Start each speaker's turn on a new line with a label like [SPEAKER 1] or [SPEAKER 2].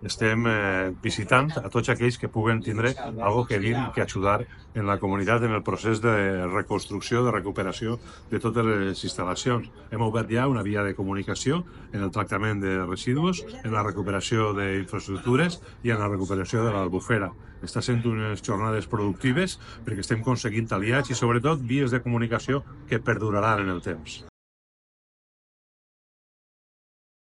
[SPEAKER 1] estem visitant a tots aquells que puguen tindre algo que dir, que ajudar en la comunitat en el procés de reconstrucció, de recuperació de totes les instal·lacions. Hem obert ja una via de comunicació en el tractament de residus, en la recuperació d'infraestructures i en la recuperació de l'Albufera. Està sent unes jornades productives perquè estem aconseguint aliats i, sobretot, vies de comunicació que perduraran en el temps.